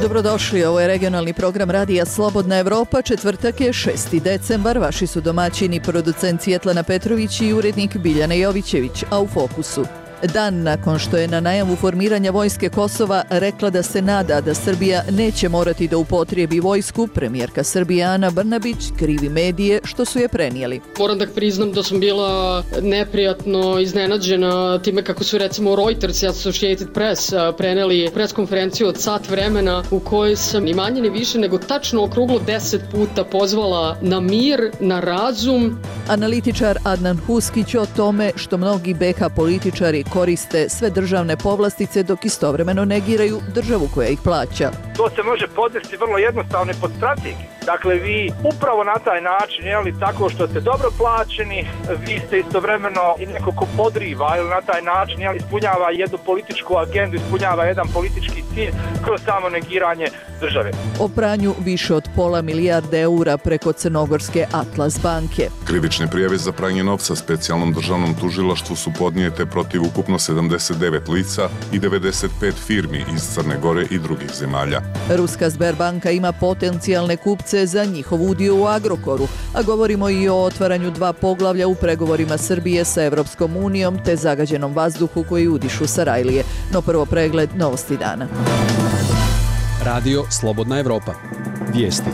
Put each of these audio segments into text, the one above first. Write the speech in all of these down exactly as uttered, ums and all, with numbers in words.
Dobrodošli, ovo je regionalni program Radija Slobodna Evropa, četvrtak je šesti decembar, vaši su domaćini, producent Svjetlana Petrović i urednik Biljana Jovićević, a u fokusu. Dan nakon što je na najavu formiranja vojske Kosova rekla da se nada da Srbija neće morati da upotrijebi vojsku, premijerka Srbije Ana Brnabić krivi medije što su je prenijeli. Moram da priznam da sam bila neprijatno iznenađena time kako su recimo Reuters i Associated Press preneli pres konferenciju od sat vremena u kojoj sam ni manje ni više nego tačno okruglo deset puta pozvala na mir, na razum. Analitičar Adnan Huskić o tome što mnogi be ha političari koriste sve državne povlastice dok istovremeno negiraju državu koja ih plaća. To se može podvesti vrlo jednostavno pod strategiju. Dakle, vi upravo na taj način, jeli, tako što ste dobro plaćeni, vi ste istovremeno i neko ko podriva ili na taj način, jeli, ispunjava jednu političku agendu, ispunjava jedan politički cilj kroz samo negiranje države. O pranju više od pola milijarde eura preko crnogorske Atlas banke. Krivične prijave za pranje novca specijalnom državnom tužilaštvu su podnijete protiv ukupno sedamdeset devet lica i devedeset pet firmi iz Crne Gore i drugih zemalja. Ruska Sberbanka ima potencijalne kupce za njihov udio u Agrokoru, a govorimo i o otvaranju dva poglavlja u pregovorima Srbije sa Evropskom unijom te zagađenom vazduhu koji udišu Sarajlije. No prvo pregled novosti dana. Radio Slobodna Evropa. Vijesti.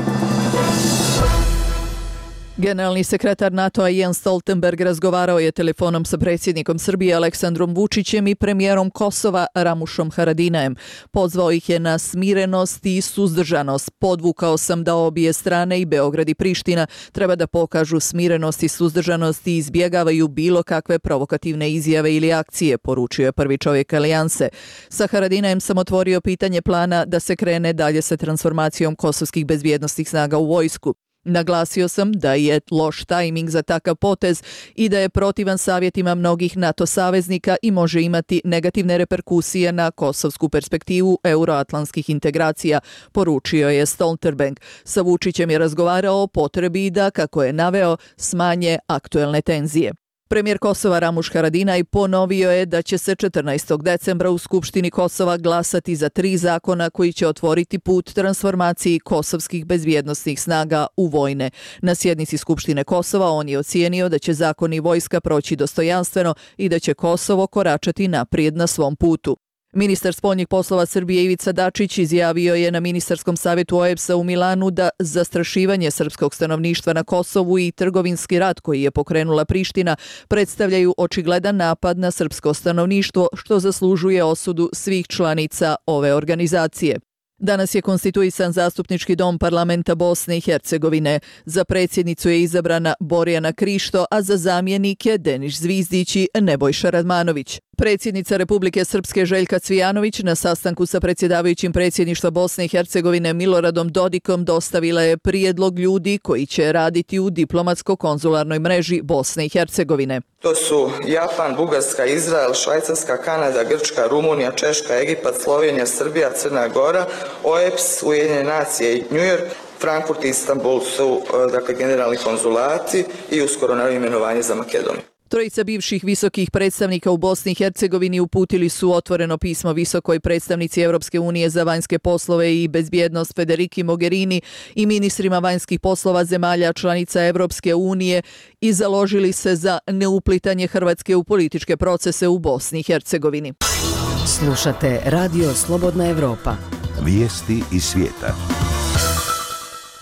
Generalni sekretar NATO-a Jens Stoltenberg razgovarao je telefonom sa predsjednikom Srbije Aleksandrom Vučićem i premijerom Kosova Ramušom Haradinajem. Pozvao ih je na smirenost i suzdržanost. Podvukao sam da obje strane, i Beograd i Priština, treba da pokažu smirenost i suzdržanost i izbjegavaju bilo kakve provokativne izjave ili akcije, poručio je prvi čovjek alijanse. Sa Haradinajem sam otvorio pitanje plana da se krene dalje sa transformacijom kosovskih bezbjednosnih snaga u vojsku. Naglasio sam da je loš tajming za takav potez i da je protivan savjetima mnogih NATO saveznika i može imati negativne reperkusije na kosovsku perspektivu euroatlantskih integracija, poručio je Stoltenberg. Sa Vučićem je razgovarao o potrebi da, kako je naveo, smanje aktuelne tenzije. Premijer Kosova Ramuš Haradinaj ponovio je da će se četrnaestog decembra u Skupštini Kosova glasati za tri zakona koji će otvoriti put transformaciji kosovskih bezbjednosnih snaga u vojne. Na sjednici Skupštine Kosova on je ocijenio da će zakoni vojska proći dostojanstveno i da će Kosovo koračati naprijed na svom putu. Ministar spoljnih poslova Srbije Ivica Dačić izjavio je na ministarskom savjetu o e b s a u Milanu da zastrašivanje srpskog stanovništva na Kosovu i trgovinski rat koji je pokrenula Priština predstavljaju očigledan napad na srpsko stanovništvo, što zaslužuje osudu svih članica ove organizacije. Danas je konstituisan zastupnički dom parlamenta Bosne i Hercegovine. Za predsjednicu je izabrana Borjana Krišto, a za zamjenike Denis Zvizdić i Nebojša Radmanović. Predsjednica Republike Srpske Željka Cvijanović na sastanku sa predsjedavajućim predsjedništva Bosne i Hercegovine Miloradom Dodikom dostavila je prijedlog ljudi koji će raditi u diplomatsko-konzularnoj mreži Bosne i Hercegovine. To su Japan, Bugarska, Izrael, Švajcarska, Kanada, Grčka, Rumunija, Češka, Egipat, Slovenija, Srbija, Crna Gora, o e b s, Ujedinjene nacije i New York, Frankfurt i Istanbul su dakle, generalni konzulati i uskoro na imenovanje za Makedoniju. Trojica bivših visokih predstavnika u Bosni i Hercegovini uputili su otvoreno pismo visokoj predstavnici Evropske unije za vanjske poslove i bezbjednost Federiki Mogherini i ministrima vanjskih poslova zemalja članica Evropske unije i založili se za neuplitanje Hrvatske u političke procese u Bosni i Hercegovini. Slušate Radio Slobodna Evropa. Vijesti iz svijeta.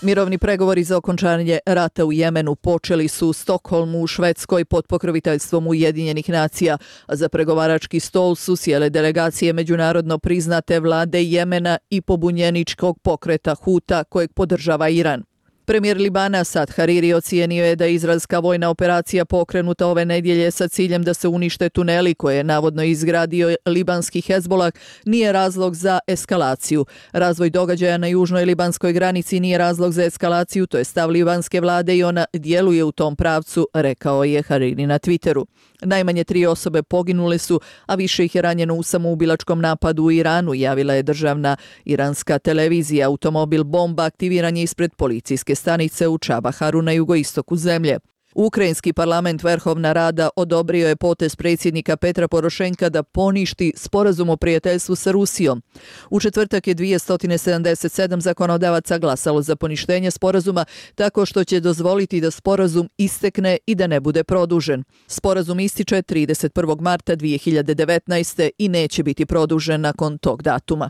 Mirovni pregovori za okončanje rata u Jemenu počeli su u Stokholmu u Švedskoj pod pokroviteljstvom Ujedinjenih nacija, a za pregovarački stol su sjele delegacije međunarodno priznate vlade Jemena i pobunjeničkog pokreta Huta kojeg podržava Iran. Premijer Libana Sad Hariri ocijenio je da je izraelska vojna operacija pokrenuta ove nedjelje sa ciljem da se unište tuneli koje je navodno izgradio libanski Hezbolah nije razlog za eskalaciju. Razvoj događaja na južnoj libanskoj granici nije razlog za eskalaciju, to je stav libanske vlade i ona djeluje u tom pravcu, rekao je Hariri na Twitteru. Najmanje tri osobe poginule su, a više ih je ranjeno u samoubilačkom napadu u Iranu, javila je državna iranska televizija. Automobil bomba aktiviran je ispred policijske stanice u Čabaharu na jugoistoku zemlje. Ukrajinski parlament Verhovna Rada odobrio je potez predsjednika Petra Porošenka da poništi sporazum o prijateljstvu sa Rusijom. U četvrtak je dvjesto sedamdeset sedam zakonodavaca glasalo za poništenje sporazuma tako što će dozvoliti da sporazum istekne i da ne bude produžen. Sporazum ističe trideset prvog marta dvije hiljade devetnaeste. i neće biti produžen nakon tog datuma.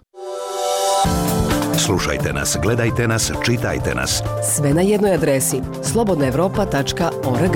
Slušajte nas, gledajte nas, čitajte nas. Sve na jednoj adresi slobodna evropa tačka org.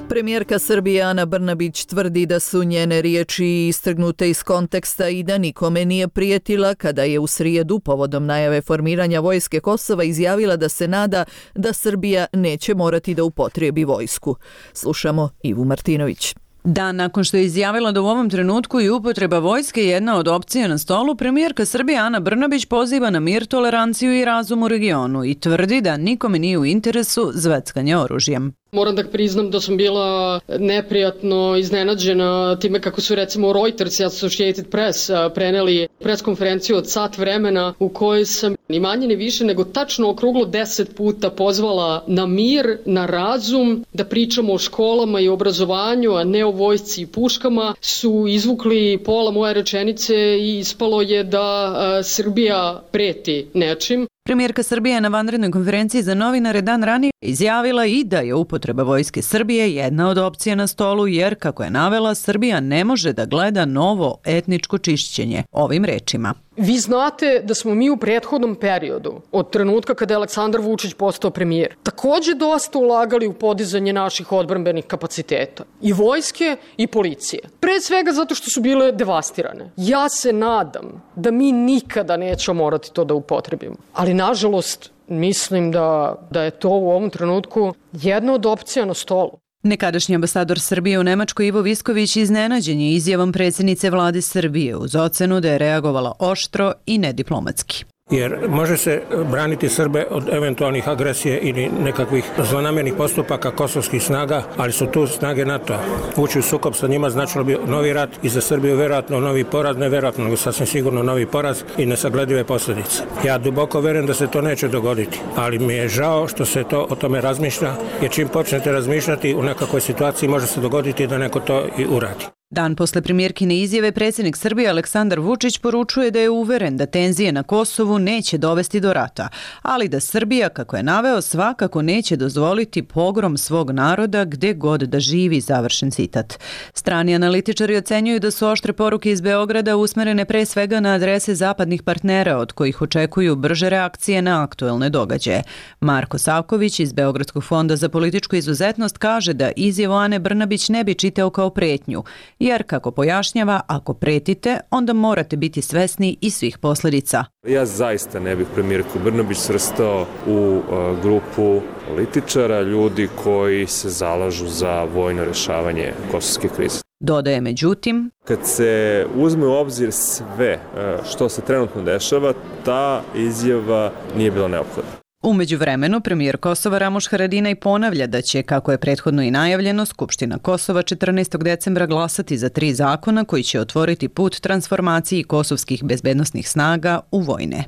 Premijerka Srbije Ana Brnabić tvrdi da su njene riječi istrgnute iz konteksta i da nikome nije prijetila kada je u srijedu povodom najave formiranja vojske Kosova izjavila da se nada da Srbija neće morati da upotrijebi vojsku. Slušamo Ivu Martinović. Dan nakon što je izjavila da u ovom trenutku i upotreba vojske je jedna od opcija na stolu, premijerka Srbije Ana Brnabić poziva na mir, toleranciju i razum u regionu i tvrdi da nikome nije u interesu zveckanje oružjem. Moram da priznam da sam bila neprijatno iznenađena time kako su recimo Reuters i Associated Press preneli pres konferenciju od sat vremena u kojoj sam ni manje ni više nego tačno okruglo deset puta pozvala na mir, na razum, da pričamo o školama i obrazovanju, a ne o vojsci i puškama. Su izvukli pola moje rečenice i ispalo je da a, Srbija preti nečim. Premijerka Srbije na vanrednoj konferenciji za novinare dan ranije izjavila i da je upotreba vojske Srbije jedna od opcija na stolu jer, kako je navela, Srbija ne može da gleda novo etničko čišćenje. Ovim rečima. Vi znate da smo mi u prethodnom periodu, od trenutka kada je Aleksandar Vučić postao premijer, takođe dosta ulagali u podizanje naših odbrambenih kapaciteta. I vojske i policije. Pre svega zato što su bile devastirane. Ja se nadam da mi nikada nećemo morati to da upotrebimo. Ali nažalost, mislim da, da je to u ovom trenutku jedna od opcija na stolu. Nekadašnji ambasador Srbije u Nemačkoj Ivo Visković iznenađen je izjavom predsjednice vlade Srbije uz ocenu da je reagovala oštro i nediplomatski. Jer može se braniti Srbe od eventualnih agresije ili nekakvih zlonamernih postupaka kosovskih snaga, ali su tu snage NATO-a. Ući u sukob sa njima značilo bi novi rat i za Srbiju verovatno novi poraz, ne verovatno, nego sasvim sigurno novi poraz i nesagledive posljedice. Ja duboko verujem da se to neće dogoditi, ali mi je žao što se to o tome razmišlja, jer čim počnete razmišljati u nekakvoj situaciji može se dogoditi da neko to i uradi. Dan posle premijerkine izjave predsjednik Srbije Aleksandar Vučić poručuje da je uveren da tenzije na Kosovu neće dovesti do rata, ali da Srbija, kako je naveo, svakako neće dozvoliti pogrom svog naroda gde god da živi, završen citat. Strani analitičari ocenjuju da su oštre poruke iz Beograda usmerene pre svega na adrese zapadnih partnera od kojih očekuju brže reakcije na aktuelne događaje. Marko Savković iz Beogradskog fonda za političku izuzetnost kaže da izjavu Ane Brnabić ne bi čitao kao pretnju, jer, kako pojašnjava, ako pretite, onda morate biti svesni i svih posljedica. Ja zaista ne bih premijerku Brnabić svrstao u uh, grupu političara, ljudi koji se zalažu za vojno rješavanje kosovske krize. Dodaje međutim, kad se uzme u obzir sve uh, što se trenutno dešava, ta izjava nije bila neophodna. U međuvremenu, premijer Kosova Ramuš Haradinaj ponavlja da će, kako je prethodno i najavljeno, Skupština Kosova četrnaestog decembra glasati za tri zakona koji će otvoriti put transformaciji kosovskih bezbednosnih snaga u vojne.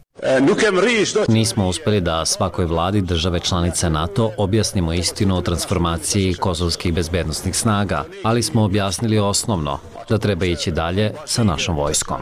Nismo uspjeli da svakoj vladi države članice NATO objasnimo istinu o transformaciji kosovskih bezbednosnih snaga, ali smo objasnili osnovno, da treba ići dalje sa našom vojskom.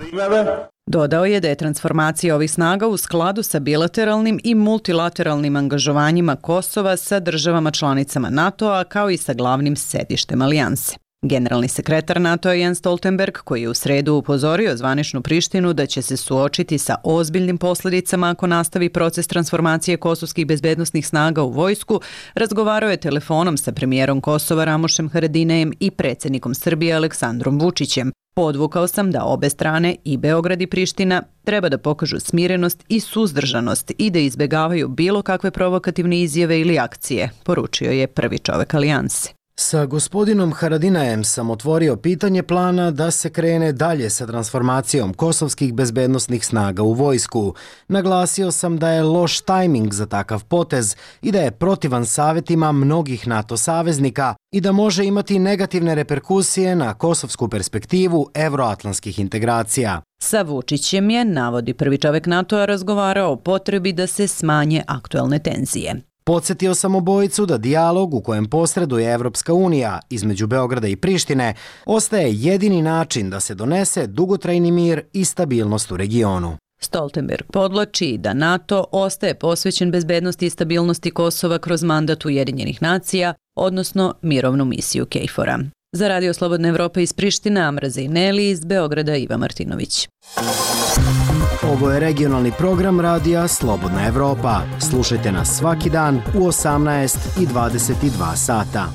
Dodao je da je transformacija ovih snaga u skladu sa bilateralnim i multilateralnim angažovanjima Kosova sa državama članicama NATO-a kao i sa glavnim sedištem alijanse. Generalni sekretar NATO-a Jens Stoltenberg, koji je u sredu upozorio zvaničnu Prištinu da će se suočiti sa ozbiljnim posljedicama ako nastavi proces transformacije kosovskih bezbednosnih snaga u vojsku, razgovarao je telefonom sa premijerom Kosova Ramušem Haradinajem i predsjednikom Srbije Aleksandrom Vučićem. Podvukao sam da obe strane, i Beograd i Priština, treba da pokažu smirenost i suzdržanost i da izbjegavaju bilo kakve provokativne izjave ili akcije, poručio je prvi čovek alijanse. Sa gospodinom Haradinajem sam otvorio pitanje plana da se krene dalje sa transformacijom kosovskih bezbednosnih snaga u vojsku. Naglasio sam da je loš tajming za takav potez i da je protivan savjetima mnogih NATO saveznika i da može imati negativne reperkusije na kosovsku perspektivu evroatlantskih integracija. Sa Vučićem je, navodi prvi čovek NATO-a, razgovarao o potrebi da se smanje aktuelne tenzije. Podsjetio sam obojicu da dijalog u kojem posreduje Evropska unija između Beograda i Prištine ostaje jedini način da se donese dugotrajni mir i stabilnost u regionu. Stoltenberg podlači da NATO ostaje posvećen bezbednosti i stabilnosti Kosova kroz mandat Ujedinjenih nacija, odnosno mirovnu misiju KFOR-a. Za Radio Slobodna Evropa iz Prištine, Amra Zejneli, iz Beograda Iva Martinović. Ovo je regionalni program radija Slobodna Evropa. Slušajte nas svaki dan u osamnaest i dvadeset dva sata.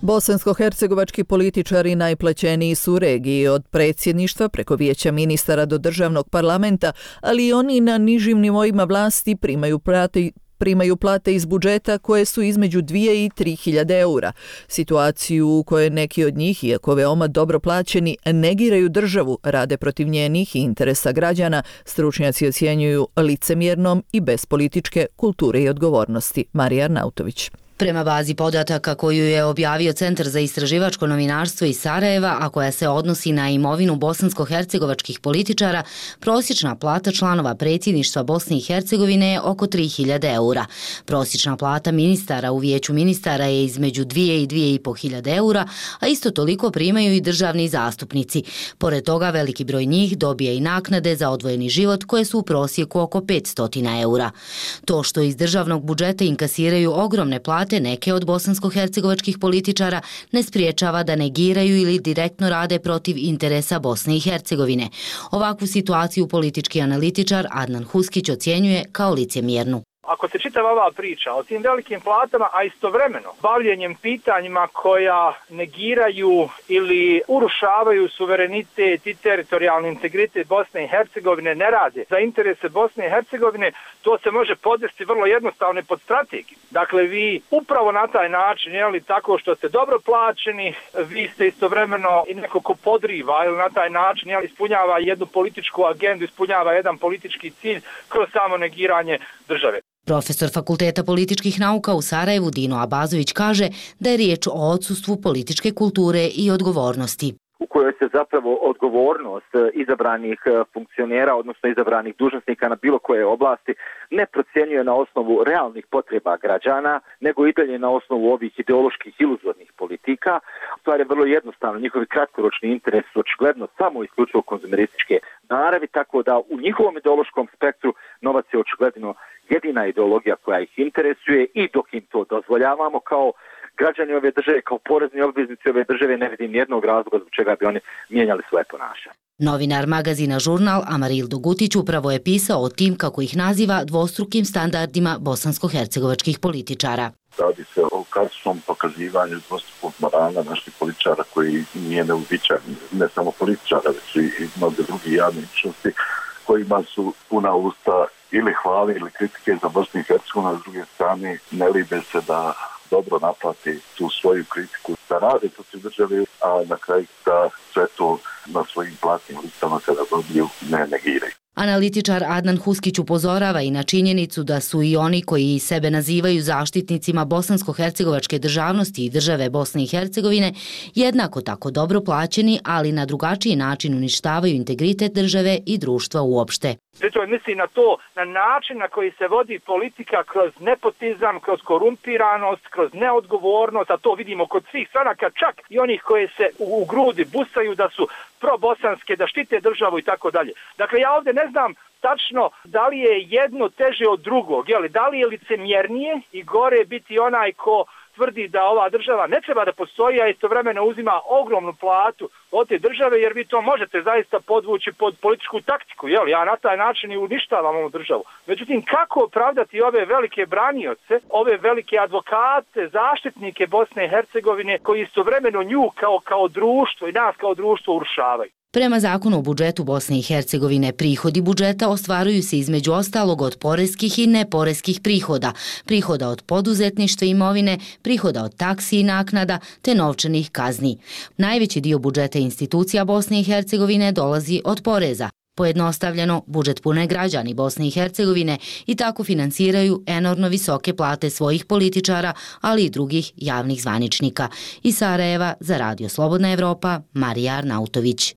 Bosansko-hercegovački političari najplaćeniji su u regiji od predsjedništva preko vijeća ministara do državnog parlamenta, ali i oni na nižim nivoima vlasti primaju plate primaju plate iz budžeta koje su između dvije i tri hiljade eura. Situaciju u kojoj neki od njih, iako veoma dobro plaćeni, negiraju državu, rade protiv njenih i interesa građana, stručnjaci ocjenjuju licemjernom i bez političke kulture i odgovornosti. Marija Arnautović. Prema bazi podataka koju je objavio Centar za istraživačko novinarstvo iz Sarajeva, a koja se odnosi na imovinu bosansko-hercegovačkih političara, prosječna plata članova predsjedništva Bosne i Hercegovine je oko tri hiljade eura. Prosječna plata ministara u vijeću ministara je između dvije i dvije i po hiljade eura, a isto toliko primaju i državni zastupnici. Pored toga, veliki broj njih dobije i naknade za odvojeni život koje su u prosjeku oko petsto eura. To što iz državnog budžeta inkasiraju ogromne plate neke od bosansko-hercegovačkih političara ne spriječava da negiraju ili direktno rade protiv interesa Bosne i Hercegovine. Ovakvu situaciju politički analitičar Adnan Huskić ocjenjuje kao licemjernu. Ako se čitava ova priča o tim velikim platama, a istovremeno bavljenjem pitanjima koja negiraju ili urušavaju suverenitet i teritorijalni integritet Bosne i Hercegovine, ne rade za interese Bosne i Hercegovine, to se može podvesti vrlo jednostavno pod strategiju. Dakle, vi upravo na taj način, jeli, tako što ste dobro plaćeni, vi ste istovremeno i neko ko podriva ili na taj način, jeli, ispunjava jednu političku agendu, ispunjava jedan politički cilj kroz samo negiranje države. Profesor Fakulteta političkih nauka u Sarajevu Dino Abazović kaže da je riječ o odsustvu političke kulture i odgovornosti. U kojoj se zapravo odgovornost izabranih funkcionera, odnosno izabranih dužnosnika na bilo koje oblasti ne procjenjuje na osnovu realnih potreba građana, nego i dalje na osnovu ovih ideoloških iluzornih politika. Stvar je vrlo jednostavno, njihovi kratkoročni interes su očigledno samo isključivo konzumerističke naravi, tako da u njihovom ideološkom spektru novac je očigledno jedina ideologija koja ih interesuje i dok im to dozvoljavamo kao građani ove države, kao porezni obveznici ove države, ne vidim nijednog razloga zbog čega bi oni mijenjali svoje ponašanje. Novinar magazina Žurnal Amaril Dogutić upravo je pisao o tim, kako ih naziva, dvostrukim standardima bosansko-hercegovačkih političara. Radi se o klasičnom pokazivanju dvostrukog morala naših političara koji nije neuobičajen, ne samo političara, već i mnoge drugi javne ličnosti kojima su puna usta ili hvali ili kritike za Bosnu i Hercegovinu, a s druge strane ne libe se da dobro naplati tu svoju kritiku, da rade protiv države, a na kraju da sve to na svojim platnim listama kada dobiju ne negiraju. Analitičar Adnan Huskić upozorava i na činjenicu da su i oni koji sebe nazivaju zaštitnicima bosansko-hercegovačke državnosti i države Bosne i Hercegovine jednako tako dobro plaćeni, ali na drugačiji način uništavaju integritet države i društva uopšte. Pritom misli na to, na način na koji se vodi politika kroz nepotizam, kroz korumpiranost, kroz neodgovornost, a to vidimo kod svih stranaka, čak i onih koje se u, u grudi busaju da su probosanske, da štite državu i tako dalje. Dakle, ja ovdje ne znam tačno da li je jedno teže od drugog, jeli, da li je licemjernije i gore biti onaj ko tvrdi da ova država ne treba da postoji, a istovremeno uzima ogromnu platu od te države, jer vi to možete zaista podvući pod političku taktiku, jel? Ja na taj način i uništavam ovu državu. Međutim, kako opravdati ove velike branioce, ove velike advokate, zaštitnike Bosne i Hercegovine, koji istovremeno nju kao, kao društvo i nas kao društvo urušavaju? Prema zakonu o budžetu Bosne i Hercegovine, prihodi budžeta ostvaruju se između ostalog od poreskih i neporeskih prihoda, prihoda od poduzetništva imovine, prihoda od taksi i naknada, te novčanih kazni. Najveći dio budžeta institucija Bosne i Hercegovine dolazi od poreza. Pojednostavljeno, budžet pune građani Bosne i Hercegovine i tako finansiraju enormno visoke plate svojih političara, ali i drugih javnih zvaničnika. Iz Sarajeva za Radio Slobodna Evropa, Marija Arnautović.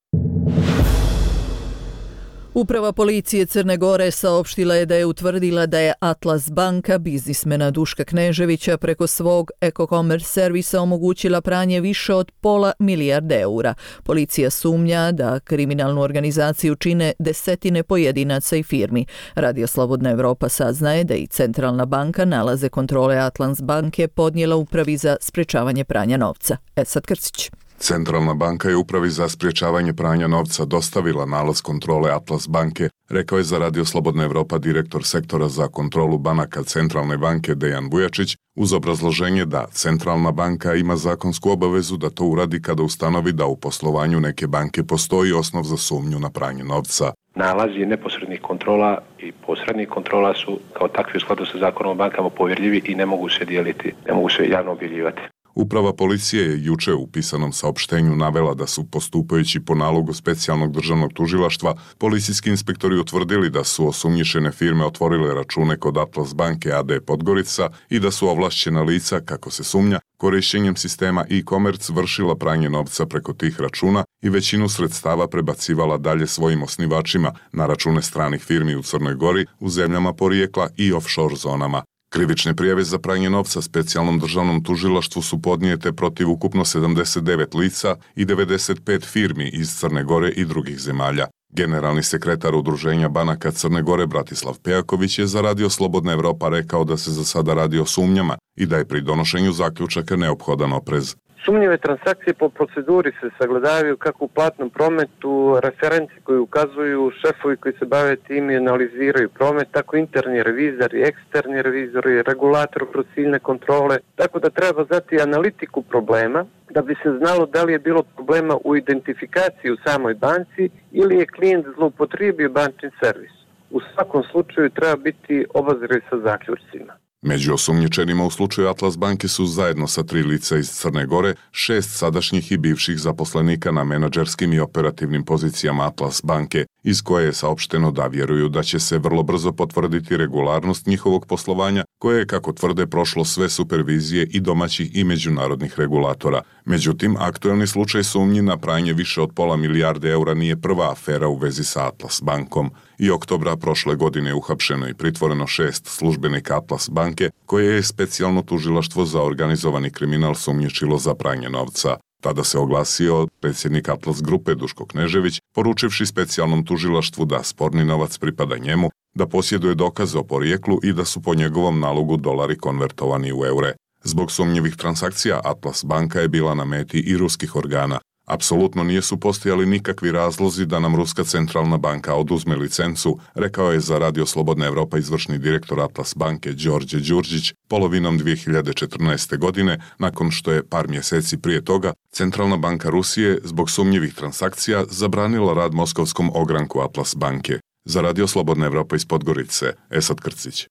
Uprava policije Crne Gore saopštila je da je utvrdila da je Atlas banka biznismena Duška Kneževića preko svog e-commerce servisa omogućila pranje više od pola milijarde eura. Policija sumnja da kriminalnu organizaciju čine desetine pojedinaca i firmi. Radio Slobodna Evropa saznaje da i Centralna banka nalaze kontrole Atlas banke podnijela Upravi za sprečavanje pranja novca. Esad Krcić. Centralna banka je Upravi za sprječavanje pranja novca dostavila nalaz kontrole Atlas banke, rekao je za Radio Slobodna Evropa direktor sektora za kontrolu banaka Centralne banke Dejan Vujačić, uz obrazloženje da Centralna banka ima zakonsku obavezu da to uradi kada ustanovi da u poslovanju neke banke postoji osnov za sumnju na pranje novca. Nalazi neposrednih kontrola i posrednih kontrola su kao takvi u skladu sa zakonom o bankama povjerljivi i ne mogu se dijeliti, ne mogu se javno objavljivati. Uprava policije je juče u pisanom saopštenju navela da su, postupajući po nalogu specijalnog državnog tužilaštva, policijski inspektori utvrdili da su osumnjičene firme otvorile račune kod Atlas banke a d Podgorica i da su ovlašćena lica, kako se sumnja, korišćenjem sistema e-commerce vršila pranje novca preko tih računa i većinu sredstava prebacivala dalje svojim osnivačima na račune stranih firmi u Crnoj Gori, u zemljama porijekla i offshore zonama. Krivične prijave za pranje novca specijalnom državnom tužilaštvu su podnijete protiv ukupno sedamdeset devet lica i devedeset pet firmi iz Crne Gore i drugih zemalja. Generalni sekretar Udruženja banaka Crne Gore Bratislav Pejaković je za Radio Slobodna Evropa rekao da se za sada radi o sumnjama i da je pri donošenju zaključaka neophodan oprez. Sumnjive transakcije po proceduri se sagledavaju kako u platnom prometu, referenci koji ukazuju, šefovi koji se bave tim i analiziraju promet, tako interni revizori, eksterni revizori, regulator kroz ciljne kontrole, tako da treba znati analitiku problema da bi se znalo da li je bilo problema u identifikaciji u samoj banci ili je klijent zloupotrijebio bančni servis. U svakom slučaju treba biti obazriv sa zaključcima. Među osumnjičenima u slučaju Atlas banke su zajedno sa tri lica iz Crne Gore, šest sadašnjih i bivših zaposlenika na menadžerskim i operativnim pozicijama Atlas banke, iz koje je saopšteno da vjeruju da će se vrlo brzo potvrditi regularnost njihovog poslovanja, koje je, kako tvrde, prošlo sve supervizije i domaćih i međunarodnih regulatora. Međutim, aktuelni slučaj sumnji na pranje više od pola milijarde eura nije prva afera u vezi sa Atlas bankom. I oktobra prošle godine uhapšeno i pritvoreno šest službenika Atlas banke, koje je specijalno tužilaštvo za organizovani kriminal sumnjičilo za pranje novca. Tada se oglasio predsjednik Atlas grupe Duško Knežević, poručivši specijalnom tužilaštvu da sporni novac pripada njemu, da posjeduje dokaze o porijeklu i da su po njegovom nalogu dolari konvertovani u eure. Zbog sumnjivih transakcija Atlas banka je bila na meti i ruskih organa. Apsolutno nisu postojali nikakvi razlozi da nam Ruska centralna banka oduzme licencu, rekao je za Radio Slobodna Evropa izvršni direktor Atlas banke Đorđe Đurđić polovinom dvije hiljade četrnaeste. godine, nakon što je par mjeseci prije toga Centralna banka Rusije zbog sumnjivih transakcija zabranila rad moskovskom ogranku Atlas banke. Za Radio Slobodna Evropa iz Podgorice, Esad Krcić.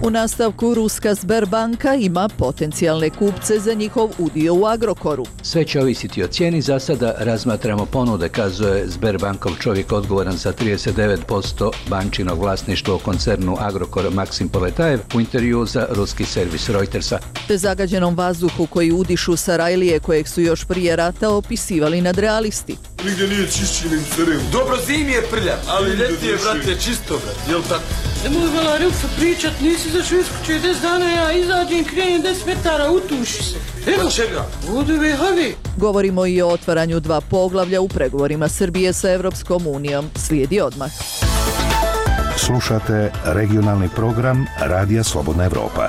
U nastavku Ruska Sberbanka ima potencijalne kupce za njihov udio u Agrokoru. Sve će ovisiti o cijeni, za sada razmatramo ponude, kazuje Sberbankov čovjek odgovoran za trideset devet posto bančinog vlasništva u koncernu Agrokor Maksim Poletajev u intervju za ruski servis Reutersa. Te zagađenom vazduhu koji udišu Sarajlije kojeg su još prije rata opisivali nadrealisti. Nigdje nije čišćenim crem. Dobro, zimi je prljav, ali ljeti je, brate, čisto, brate, jel tako? Nemoj vala Ruksa pričat, nisi za Švidsku deset dana, ja izađem, krenem deset metara, utuši se. Evo, pa čega? Vodu vehavi. Govorimo i o otvaranju dva poglavlja u pregovorima Srbije sa Evropskom unijom. Slijedi odmah. Slušate regionalni program Radija Slobodna Evropa.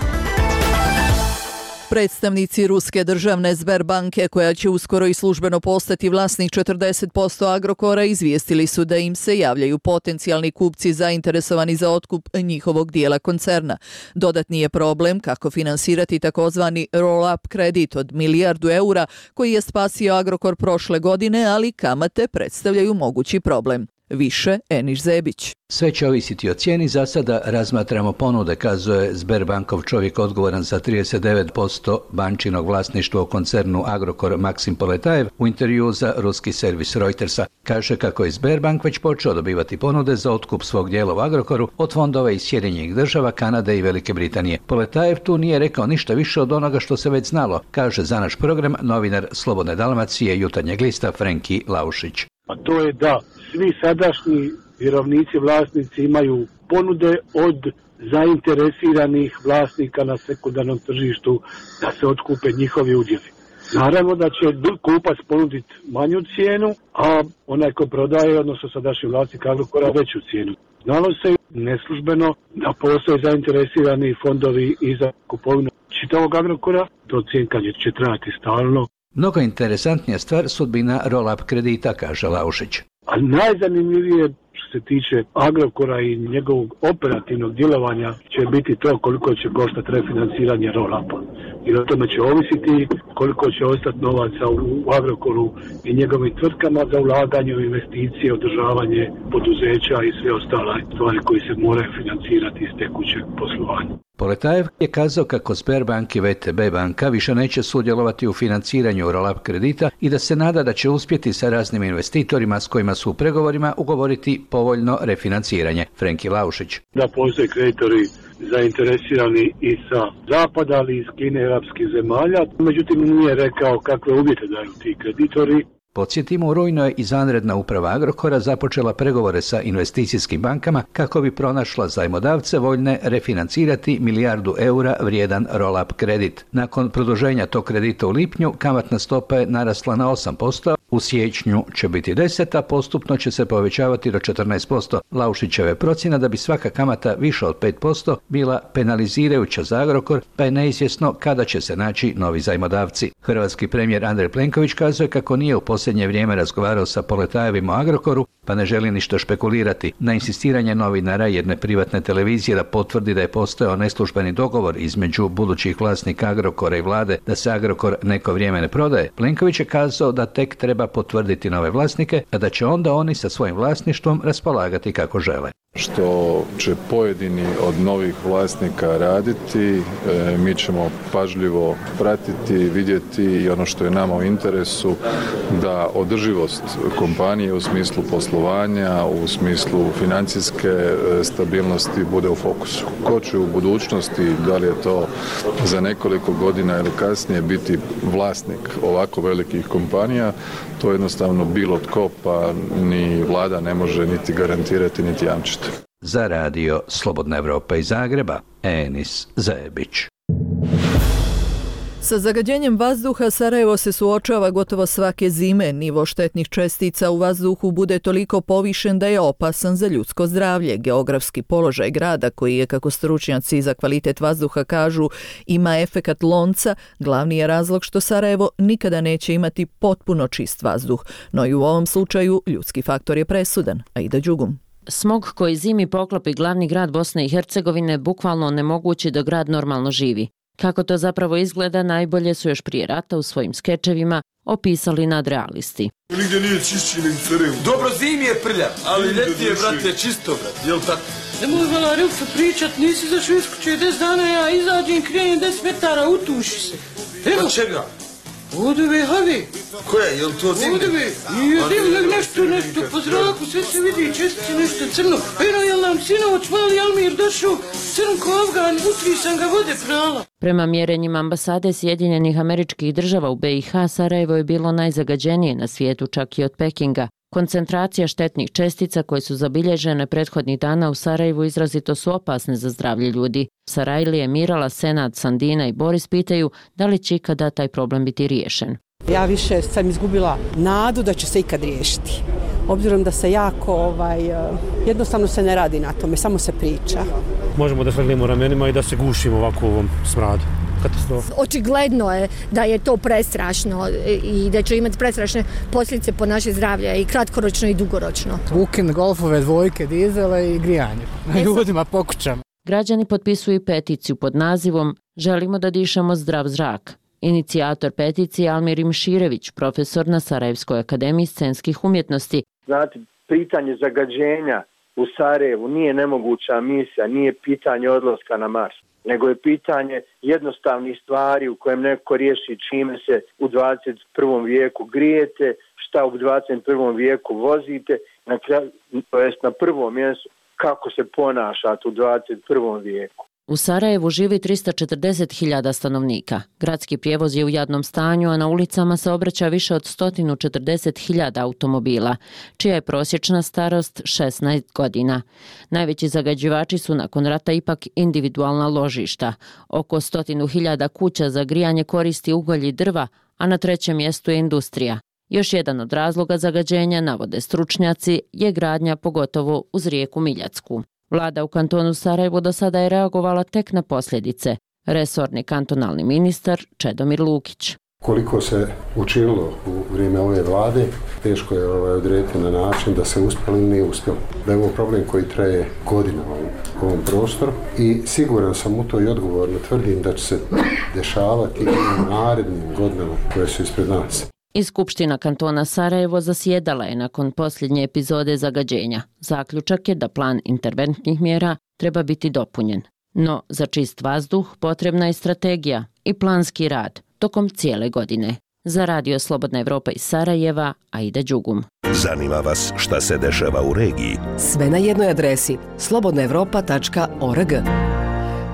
Predstavnici ruske državne Sberbanke, koja će uskoro i službeno postati vlasnik četrdeset posto Agrokora, izvijestili su da im se javljaju potencijalni kupci zainteresovani za otkup njihovog dijela koncerna. Dodatni je problem kako finansirati takozvani roll-up kredit od milijardu eura koji je spasio Agrokor prošle godine, ali kamate predstavljaju mogući problem. Više Eniš Zebić. Sve će ovisiti o cijeni, za sada razmatramo ponude, kazuje Sberbankov čovjek odgovoran za trideset devet posto bančinog vlasništva u koncernu Agrokor Maksim Poletajev u intervju za ruski servis Reutersa. Kaže kako je Sberbank već počeo dobivati ponude za otkup svog dijela u Agrokoru od fondova iz Sjedinjenih država, Kanade i Velike Britanije. Poletajev tu nije rekao ništa više od onoga što se već znalo, kaže za naš program novinar Slobodne Dalmacije Jutarnjeg lista Frenki Laušić. a to je da svi sadašnji vjerovnici, vlasnici imaju ponude od zainteresiranih vlasnika na sekundarnom tržištu da se otkupe njihovi udjeli. Naravno da će kupac ponuditi manju cijenu, a onaj ko prodaje, odnosno sadašnji vlasnik Agrokora, veću cijenu. Znalo se neslužbeno da postoje zainteresirani fondovi i za kupovinu čitavog Agrokora, to cjenkanje će trajati stalno. Mnogo interesantnija stvar sudbina roll-up kredita, kaže Laušić. A najzanimljivije što se tiče Agrokora i njegovog operativnog djelovanja će biti to koliko će koštati refinanciranje roll-upa. I o tome će ovisiti koliko će ostati novaca u Agrokoru i njegovim tvrtkama za ulaganje u investicije, održavanje poduzeća i sve ostale stvari koji se moraju financirati iz tekućeg poslovanja. Poletajev je kazao kako Sberbank i V T B banka više neće sudjelovati u financiranju roll-up kredita i da se nada da će uspjeti sa raznim investitorima s kojima su u pregovorima ugovoriti povoljno refinanciranje. Frenki Laušić. Da postoje kreditori zainteresirani i sa zapada, ali i iz Kine i arapskih zemalja. Međutim, nije rekao kakve uvjete daju ti kreditori. Podsjetimo, u rujnu je izvanredna uprava Agrokora započela pregovore sa investicijskim bankama kako bi pronašla zajmodavce voljne refinancirati milijardu eura vrijedan roll-up kredit. Nakon produženja tog kredita u lipnju, kamatna stopa je narasla na osam posto, u siječnju će biti deset, a postupno će se povećavati do četrnaest posto. Laušićeve procjena da bi svaka kamata više od pet posto bila penalizirajuća za Agrokor, pa je neizvjesno kada će se naći novi zajmodavci. Hrvatski premijer Andrej Plenković kazuje kako nije u posljednje vrijeme razgovarao sa Poletajevim o Agrokoru, pa ne želi ništa špekulirati. Na insistiranje novinara jedne privatne televizije da potvrdi da je postojao neslužbeni dogovor između budućih vlasnika Agrokora i vlade da se Agrokor neko vrijeme ne prodaje, Plenković je kazao da tek treba potvrditi nove vlasnike, a da će onda oni sa svojim vlasništvom raspolagati kako žele. Što će pojedini od novih vlasnika raditi, e, mi ćemo pažljivo pratiti, vidjeti i ono što je nama u interesu da održivost kompanije u smislu poslovanja, u smislu financijske e, stabilnosti bude u fokusu. Ko će u budućnosti, da li je to za nekoliko godina ili kasnije, biti vlasnik ovako velikih kompanija, to jednostavno bilo tko, pa ni vlada ne može niti garantirati, niti jamčiti. Za radio Slobodna Evropa iz Zagreba, Enis Zajebić. Sa zagađenjem vazduha Sarajevo se suočava gotovo svake zime. Nivo štetnih čestica u vazduhu bude toliko povišen da je opasan za ljudsko zdravlje. Geografski položaj grada, koji je, kako stručnjaci za kvalitet vazduha kažu, ima efekat lonca, glavni je razlog što Sarajevo nikada neće imati potpuno čist vazduh. No i u ovom slučaju ljudski faktor je presudan. Aida Đugum. Smog koji zimi poklopi glavni grad Bosne i Hercegovine bukvalno onemogući da grad normalno živi. Kako to zapravo izgleda, najbolje su još prije rata u svojim skečevima opisali nadrealisti. Nigdje nije čišći nego Sarajevo. Dobro, zimi je prljav, ali ljeti je, brate, čisto, brate, jel tako? Ne mogu vala Rilca pričat, nisi zašao iz kuće deset dana, ja izađem, krenem deset metara, utuši se. Evo. Od čega? Vodove, havi. Koje, jel to dimne? Vodove, nije dimne, nešto, nešto, po zraku, sve se vidi, čestice, nešto crno. Eno, jel nam sinoć, mali Almir došao, crn ko Afgan, utri sam ga vode prala. Prema mjerenjima ambasade Sjedinjenih Američkih Država u B i H, Sarajevo je bilo najzagađenije na svijetu, čak i od Pekinga. Koncentracija štetnih čestica koje su zabilježene prethodnih dana u Sarajevu izrazito su opasne za zdravlje ljudi. Sarajlije, Mirala, Senad, Sandina i Boris pitaju da li će ikada taj problem biti riješen. Ja više sam izgubila nadu da će se ikad riješiti. Obzirom da se jako, ovaj, jednostavno se ne radi na tome, samo se priča. Možemo da svrljimo ramenima i da se gušimo ovako u ovom smradu. Katastrofa. Očigledno je da je to prestrašno i da će imati prestrašne posljedice po naše zdravlje i kratkoročno i dugoročno. Weekend, golfove, dvojke, dizele i grijanje. Ljudima po kućama. Građani potpisuju peticiju pod nazivom Želimo da dišemo zdrav zrak. Inicijator peticije Almir Imširević, profesor na Sarajevskoj akademiji scenskih umjetnosti. Znate, pitanje zagađenja u Sarajevu nije nemoguća misija, nije pitanje odlaska na Mars, nego je pitanje jednostavnih stvari u kojem neko riješi čime se u dvadeset prvom vijeku grijete, šta u dvadeset prvom vijeku vozite, na kraju, to jest na prvom mjestu kako se ponašate u dvadeset prvom vijeku. U Sarajevu živi tristo četrdeset hiljada stanovnika. Gradski prijevoz je u jadnom stanju, a na ulicama se obraća više od sto četrdeset hiljada automobila, čija je prosječna starost šesnaest godina. Najveći zagađivači su nakon rata ipak individualna ložišta. Oko sto hiljada kuća za grijanje koristi ugalj i drva, a na trećem mjestu je industrija. Još jedan od razloga zagađenja, navode stručnjaci, je gradnja pogotovo uz rijeku Miljacku. Vlada u kantonu Sarajevo do sada je reagovala tek na posljedice. Resorni kantonalni ministar Čedomir Lukić. Koliko se učinilo u vrijeme ove vlade, teško je ovaj odrediti na način da se uspjelo ili nije uspjelo. Da je ovo problem koji traje godinama u ovom prostoru i siguran sam u to i odgovorno tvrdim da će se dešavati i u narednim godinama koje su ispred nas. I Skupština kantona Sarajevo zasjedala je nakon posljednje epizode zagađenja. Zaključak je da plan interventnih mjera treba biti dopunjen. No, za čist vazduh potrebna je strategija i planski rad tokom cijele godine. Za Radio Slobodna Evropa iz Sarajeva, Aida Đugum. Zanima vas šta se dešava u regiji? Sve na jednoj adresi slobodna evropa tačka org.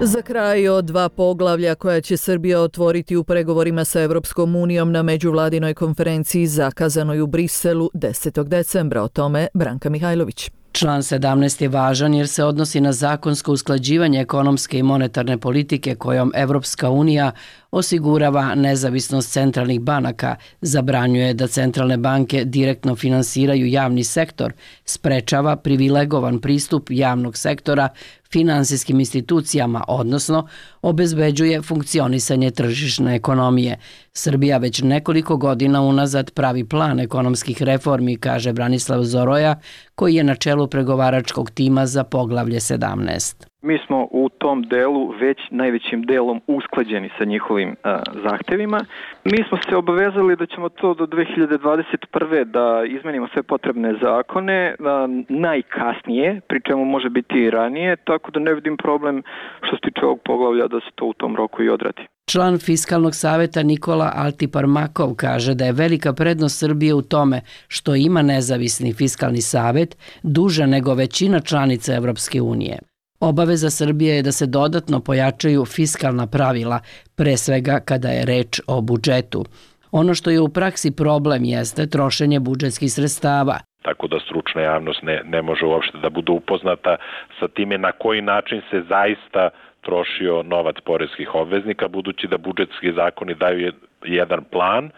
Za kraj o dva poglavlja koja će Srbija otvoriti u pregovorima sa Evropskom unijom na međuvladinoj konferenciji zakazanoj u Briselu desetog decembra. O tome Branka Mihajlović. Član sedamnaest je važan jer se odnosi na zakonsko usklađivanje ekonomske i monetarne politike kojom Evropska unija osigurava nezavisnost centralnih banaka, zabranjuje da centralne banke direktno finansiraju javni sektor, sprečava privilegovan pristup javnog sektora finansijskim institucijama, odnosno obezbeđuje funkcionisanje tržišne ekonomije. Srbija već nekoliko godina unazad pravi plan ekonomskih reformi, kaže Branislav Zoroja, koji je na čelu pregovaračkog tima za poglavlje sedamnaest. Mi smo u tom delu već najvećim delom usklađeni sa njihovim a, zahtevima. Mi smo se obavezali da ćemo to do dve hiljade dvadeset prve da izmenimo sve potrebne zakone, a, najkasnije, pri čemu može biti i ranije, tako da ne vidim problem što se tiče ovog poglavlja da se to u tom roku i odradi. Član Fiskalnog savjeta Nikola Altiparmakov kaže da je velika prednost Srbije u tome što ima nezavisni fiskalni savjet duže nego većina članica Evropske unije. Obaveza Srbije je da se dodatno pojačaju fiskalna pravila, pre svega kada je reč o budžetu. Ono što je u praksi problem jeste trošenje budžetskih sredstava. Tako da stručna javnost ne, ne može uopšte da bude upoznata sa time na koji način se zaista trošio novac poreskih obveznika, budući da budžetski zakoni daju jedan plan,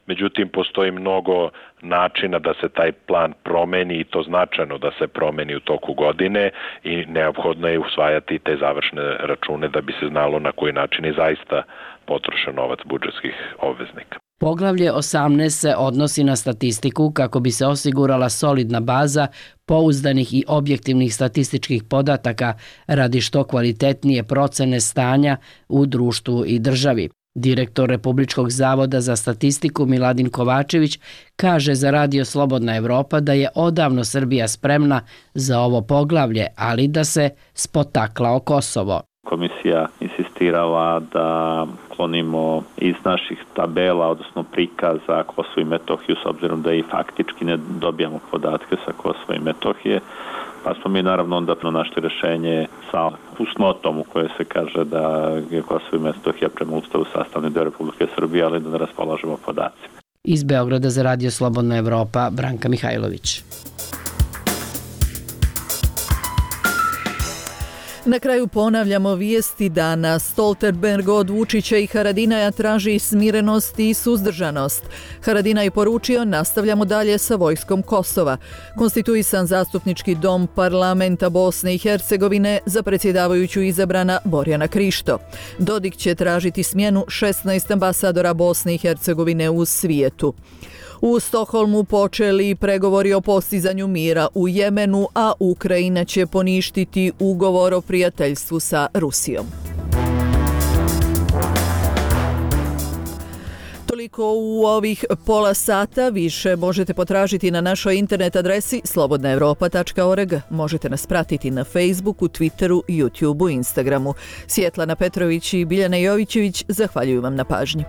međutim postoji mnogo načina da se taj plan promeni i to značajno da se promeni u toku godine i neophodno je usvajati te završne račune da bi se znalo na koji način je zaista potrošen novac budžetskih obveznika. Poglavlje osamnaest se odnosi na statistiku kako bi se osigurala solidna baza pouzdanih i objektivnih statističkih podataka radi što kvalitetnije procene stanja u društvu i državi. Direktor Republičkog zavoda za statistiku Miladin Kovačević kaže za Radio Slobodna Evropa da je odavno Srbija spremna za ovo poglavlje, ali da se spotakla o Kosovo. Komisija insistirala da klonimo iz naših tabela, odnosno prikaza Kosovo i Metohiju, s obzirom da i faktički ne dobijamo podatke sa Kosova i Metohije, pa smo mi naravno onda našli rješenje sa fusnotom u kojoj se kaže da je Kosovo i Metohija prema Ustavu sastavni deo Republike Srbije, ali da ne raspolažemo podacima. Iz Beograda za Radio Slobodna Evropa, Branka Mihajlović. Na kraju ponavljamo vijesti dana. Stoltenberg od Vučića i Haradinaja traži smirenost i suzdržanost. Haradinaj poručio nastavljamo dalje sa vojskom Kosova. Konstituisan zastupnički dom parlamenta Bosne i Hercegovine za predsjedavajuću izabrana Borjana Krišto. Dodik će tražiti smjenu šesnaest ambasadora Bosne i Hercegovine u svijetu. U Stokholmu počeli pregovori o postizanju mira u Jemenu, a Ukrajina će poništiti ugovor o prijateljstvu sa Rusijom. Toliko u ovih pola sata. Više možete potražiti na našoj internet adresi slobodna evropa tačka org. Možete nas pratiti na Facebooku, Twitteru, YouTubeu, Instagramu. Svjetlana Petrović i Biljana Jovićević zahvaljuju vam na pažnji.